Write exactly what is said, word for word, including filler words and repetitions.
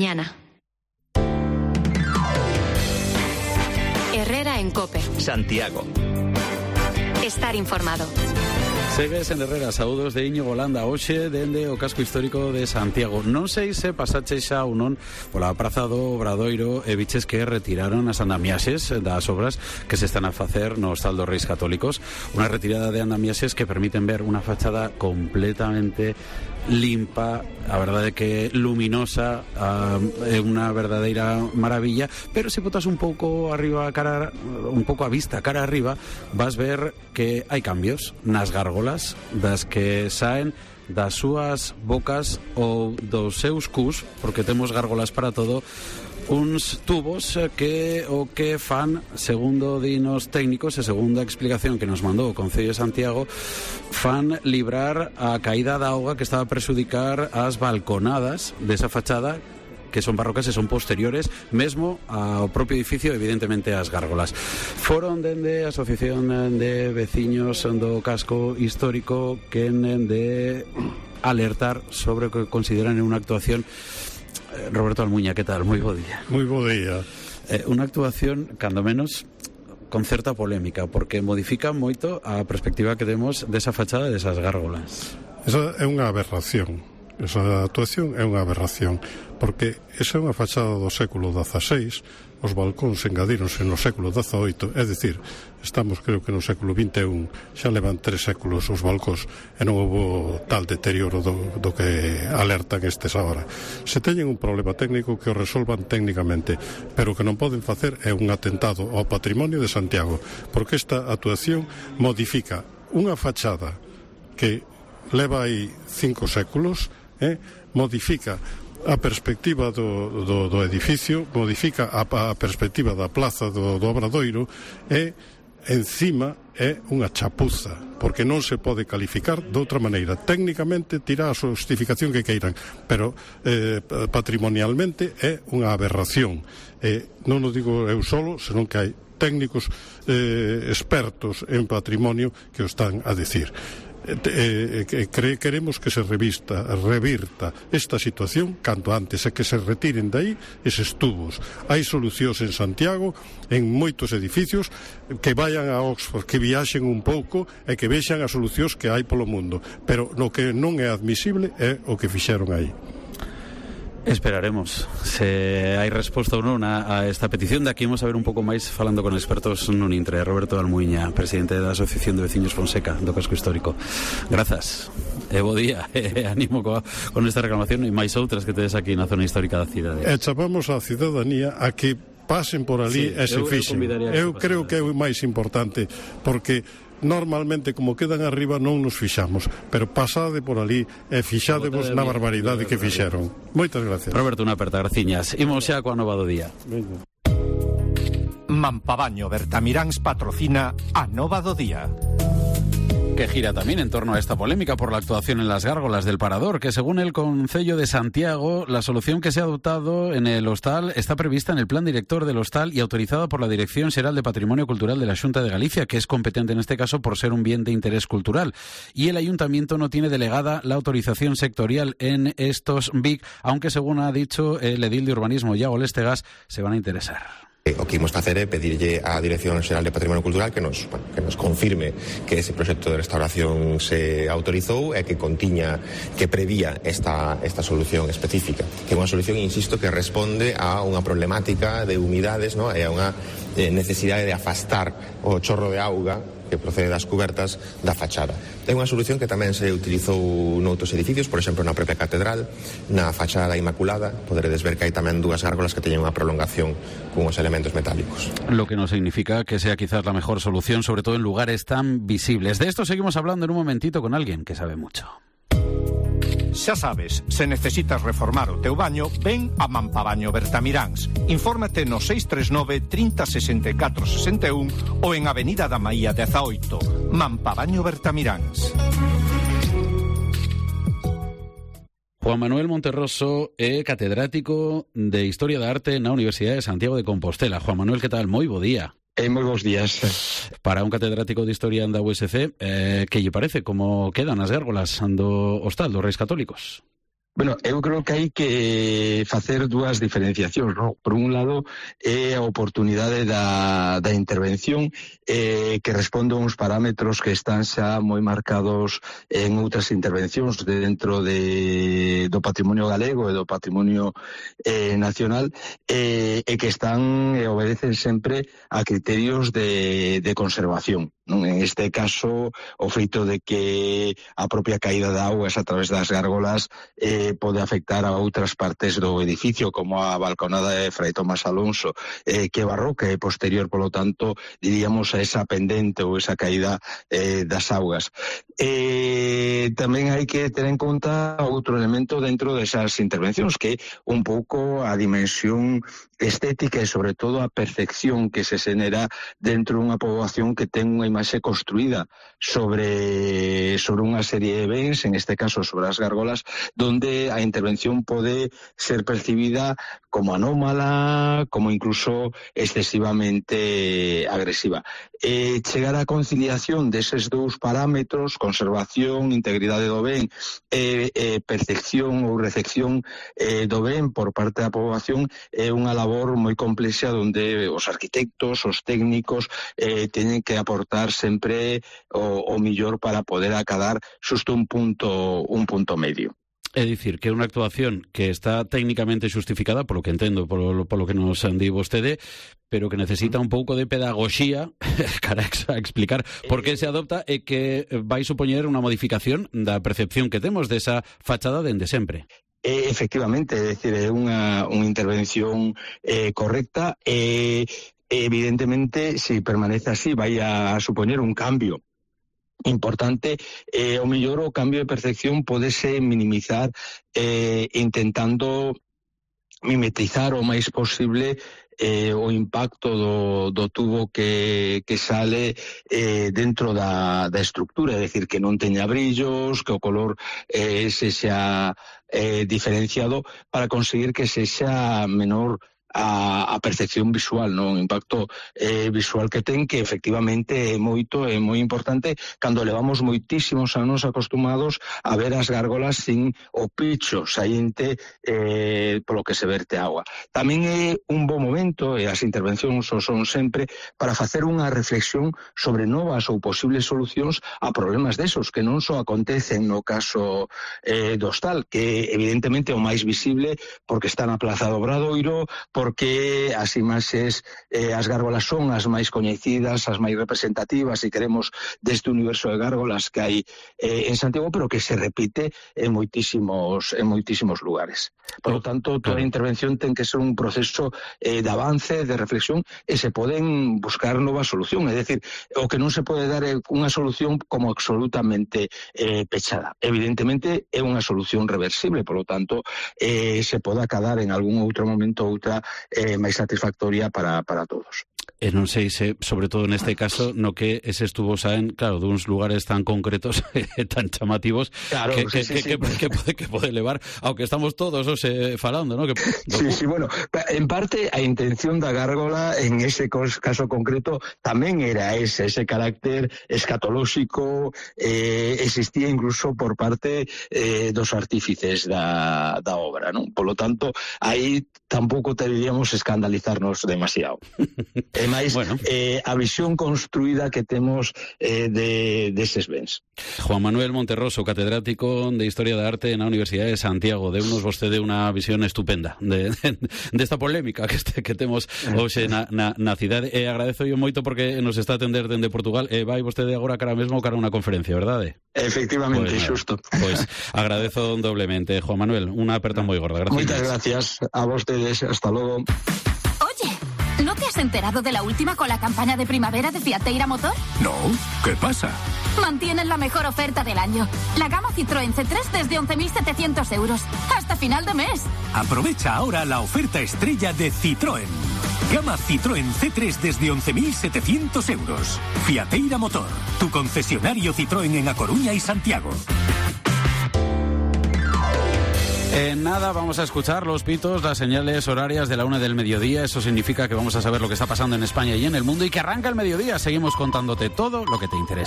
Mañana. Herrera en COPE. Santiago. Estar informado. Segues en Herrera, saúdos de Íñigo Landa, hoxe dende o casco histórico de Santiago. Non sei se pasache xa ou non pola praza do Obradoiro e viches que retiraron as andamiaxes das obras que se están a facer no Hostal dos Reis Católicos. Unha retirada de andamiaxes que permiten ver unha fachada completamente limpa, a verdade que luminosa, é uh, unha verdadeira maravilla, pero se botas un pouco arriba, cara, un pouco a vista, cara arriba, vas ver que hai cambios nas gárgolas das que saen das súas bocas ou dos seus cus, porque temos gárgolas para todo, uns tubos que o que fan, segundo dinos técnicos e segundo a explicación que nos mandou o Concello de Santiago, fan librar a caída da auga que estaba a prexudicar as balconadas desa fachada, que son barrocas e son posteriores mesmo ao propio edificio, evidentemente as gárgolas. Foron dende a Asociación de Veciños do Casco Histórico que de alertar sobre o que consideran unha actuación. Roberto Almuña, que tal? Moi bo día. Moi bo día. Eh, unha actuación, cando menos, con certa polémica, porque modifica moito a perspectiva que temos desa fachada e desas gárgolas. Esa é unha aberración. Esa actuación é unha aberración, porque esa é unha fachada do século dezaseis, os balcóns engadíronse no século dezaoito, é dicir, estamos creo que no século vinte e un, xa levan tres séculos os balcóns e non houve tal deterioro do, do que alertan estes agora. Se teñen un problema técnico, que o resolvan técnicamente, pero o que non poden facer é un atentado ao patrimonio de Santiago, porque esta actuación modifica unha fachada que leva aí cinco séculos, eh, modifica a perspectiva do, do, do edificio, modifica a, a perspectiva da plaza do, do Obradoiro e encima é unha chapuza, porque non se pode calificar de outra maneira. Técnicamente tira a justificación que queiran, pero eh, patrimonialmente é unha aberración. Eh, non o digo eu solo, senón que hai técnicos eh, expertos en patrimonio que o están a decir. Eh, eh, cre, queremos que se revista, revirta esta situación canto antes e que se retiren de aí eses tubos. Hai solucións en Santiago, en moitos edificios, que vayan a Oxford, que viaxen un pouco e que vexan as solucións que hai polo mundo, pero no que non é admisible é o que fixeron aí. Esperaremos se hai resposta ou non a, a esta petición. De aquí vamos a ver un pouco máis falando con expertos nun intre. Roberto Almuña, presidente da Asociación de Veciños Fonseca do Casco Histórico. Grazas e bo día, e animo coa, con esta reclamación e máis outras que tedes aquí na zona histórica da cidade. E chamamos a cidadanía a que pasen por ali, sí, e se fixen. Eu, eu creo que é o máis importante, porque normalmente, como quedan arriba, non nos fixamos, pero pasade por ali e fixademos na barbaridade que fixeron. Moitas gracias. Roberto, unha aperta, graciñas. Imos xa coa nova do día. Venga. Mampabaño Bertamiráns patrocina a nova do día, que gira también en torno a esta polémica por la actuación en las gárgolas del Parador, que según el Concello de Santiago, la solución que se ha adoptado en el hostal está prevista en el plan director del hostal y autorizada por la Dirección Xeral de Patrimonio Cultural de la Xunta de Galicia, que es competente en este caso por ser un bien de interés cultural. Y el Ayuntamiento no tiene delegada la autorización sectorial en estos B I C, aunque según ha dicho el edil de Urbanismo, Iago Lestegas, se van a interesar. O que imos facer é pedirlle á Dirección Xeral de Patrimonio Cultural que nos, bueno, que nos confirme que ese proxecto de restauración se autorizou e que contiña, que prevía esta, esta solución específica, que é unha solución, insisto, que responde a unha problemática de humidades, ¿no? E a unha eh, necesidade de afastar o chorro de auga que procede das cubertas da fachada. É unha solución que tamén se utilizou noutros edificios, por exemplo, na propia catedral, na fachada da Inmaculada. Poderedes ver que hai tamén dúas gárgolas que teñen unha prolongación con os elementos metálicos. Lo que no significa que sea quizás la mejor solución, sobre todo en lugares tan visibles. De esto seguimos hablando en un momentito con alguien que sabe mucho. Xa sabes, se necesitas reformar o teu baño, ven a Mampabaño Bertamiráns. Infórmate no seis tres nove, trinta, sesenta e catro, sesenta e un ou en Avenida da Maía dezaoito. Mampabaño Bertamiráns. Juan Manuel Monterroso é catedrático de Historia da Arte na Universidade de Santiago de Compostela. Juan Manuel, que tal? Moi bo día. Eh, moi bons días. Para un catedrático de Historia da U S C, eh, que lle parece como quedan as gárgolas do hostal dos Reis Católicos? Bueno, eu creo que hai que facer dúas diferenciacións, non? Por un lado, é a oportunidade da, da intervención eh, que responde a uns parámetros que están xa moi marcados en outras intervencións de dentro de, do patrimonio galego e do patrimonio eh, nacional eh, e que están e obedecen sempre a criterios de, de conservación. Non? En este caso, o feito de que a propia caída de augas a través das gárgolas eh, pode afectar a outras partes do edificio, como a balconada de Fray Tomás Alonso, eh, que barroca e posterior, polo tanto, diríamos a esa pendente ou esa caída eh, das augas. Eh, tamén hai que ter en conta outro elemento dentro desas intervencións, que é un pouco a dimensión estética e, sobre todo, a percepción que se xenera dentro dunha poboación que ten unha imaxe construída sobre, sobre unha serie de bens, en este caso sobre as gárgolas, donde a intervención pode ser percibida como anómala, como incluso excesivamente agresiva. Eh, chegar á conciliación deses dous parámetros, conservación, integridade do ben, e eh, eh, percepción ou recepción eh, do ben por parte da poboación, é unha labor moi complexa onde os arquitectos, os técnicos eh, teñen que aportar sempre o, o millor para poder acadar xusto un punto, un punto medio. É dicir, que é unha actuación que está técnicamente xustificada, polo que entendo, polo, polo que nos di vostede, pero que necesita un pouco de pedagogía para explicar por que se adopta e que vai supoñer unha modificación da percepción que temos desa fachada dende sempre. Eh, efectivamente, é dicir, é unha, unha intervención eh, correcta e eh, evidentemente, se permanece así, vai a supoñer un cambio importante, eh, o mellor o cambio de percepción podese minimizar eh, intentando mimetizar o máis posible eh, o impacto do, do tubo que, que sale eh, dentro da, da estructura, é dicir, que non teña brillos, que o color eh, se xa eh, diferenciado para conseguir que se xa menor a, a percepción visual, non? O impacto eh, visual que ten, que efectivamente é moito, é moi importante cando levamos moitísimos anos acostumados a ver as gárgolas sin o picho saínte eh, polo que se verte agua. Tamén é un bo momento, e as intervencións o son sempre, para facer unha reflexión sobre novas ou posibles solucións a problemas desos, que non só acontecen no caso eh, do hostal, que evidentemente é o máis visible porque está na Plaza do Obradoiro, porque as imaxes, eh, as gárgolas son as máis coñecidas, as máis representativas, se queremos, deste universo de gárgolas que hai eh, en Santiago, pero que se repite en moitísimos, en moitísimos lugares. Por lo tanto, toda a intervención ten que ser un proceso eh, de avance, de reflexión, e se poden buscar novas solucións. É dicir, o que non se pode dar é unha solución como absolutamente eh, pechada. Evidentemente, é unha solución reversible, por lo tanto, eh, se pode acadar en algún outro momento outra eh, máis satisfactoria para, para todos. E non sei se, sobre todo neste caso, no que eses tubos saen, claro, duns lugares tan concretos e tan chamativos, claro, que, sí, que, sí, que, sí. que, que, pode, que pode levar, aunque estamos todos ose, falando, ¿no? Que, sí, sí, bueno, en parte a intención da gárgola en ese caso concreto tamén era ese, ese carácter escatolóxico, eh, existía incluso por parte eh, dos artífices da, da obra, ¿no? Por lo tanto, aí tampouco deberíamos escandalizarnos demasiado. É máis bueno. eh, a visión construída que temos eh, de deses bens. Juan Manuel Monterroso, catedrático de Historia da Arte na Universidade de Santiago. Deunos vostede unha visión estupenda de, de, de esta polémica que, este, que temos hoxe na, na, na cidade. E agradezo yo moito porque nos está a atender dende Portugal e vai vostede agora cara mesmo cara unha conferencia, verdade? Efectivamente, pues, xusto. Pois pues, agradezo doblemente, Juan Manuel. Unha aperta moi gorda. Gracias. Moitas gracias a vostedes. Hasta logo. Oye, ¿no te has enterado de la última con la campaña de primavera de Fiateira Motor? No, ¿qué pasa? Mantienen la mejor oferta del año. La gama Citroën C tres desde once mil setecientos euros. Hasta final de mes. Aprovecha ahora la oferta estrella de Citroën. Gama Citroën C tres desde once mil setecientos euros. Fiateira Motor, tu concesionario Citroën en A Coruña y Santiago. En nada vamos a escuchar los pitos, las señales horarias de la una del mediodía. Eso significa que vamos a saber lo que está pasando en España y en el mundo y que arranca el mediodía. Seguimos contándote todo lo que te interesa.